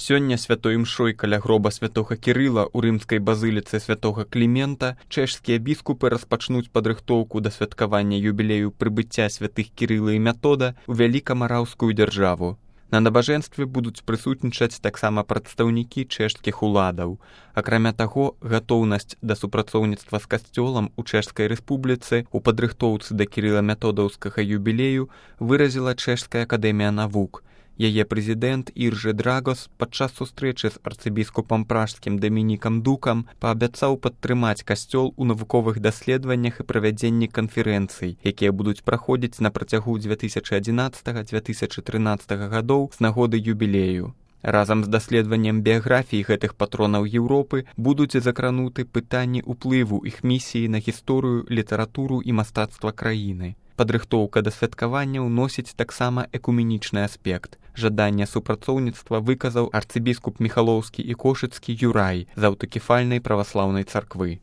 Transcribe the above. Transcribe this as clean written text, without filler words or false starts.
Сёння святой імшой каля гроба святога Кірыла ў рымскай базыліцы святога Клімента чэшскія біскупы распачнуць падрыхтоўку да святкавання юбілею прыбыцця святых Кірыла і Мятода ў вялікамараўскую дзяржаву. На набажэнстве будуць прысутнічаць таксама прадстаўнікі чэшскіх уладаў. Акрамя таго, гатоўнасць да супрацоўніцтва з касцёлам у Чэшскай рэспубліцы ў падрыхтоўцы да Кірыла-Мятодаўскага юбілею выразіла Чэшская акадэмія навук. Яе прэзідэнт Іржы Драгос падчас сустрэчы з арцыбіскупам пражскім Дамінікам Дукам паабяцаў падтрымаць касцёл у навуковых даследаваннях і правядзенні канферэнцый, якія будуць праходзіць на працягу 2011-2013 гадоў з нагоды юбілею. Разам з даследаваннем біяграфіі гэтых патронаў Еўропы будуць закрануты пытанні ўплыву іх місіі на гісторыю, літаратуру і мастацтва краіны. Падрыхтоўка да святкавання ўносіць таксама экуменічны аспект. Жаданне супрацоўніцтва выказаў арцыбіскуп Міхалоўскі і Кошыцкі Юрай з аўтакефальнай праваслаўнай царквы.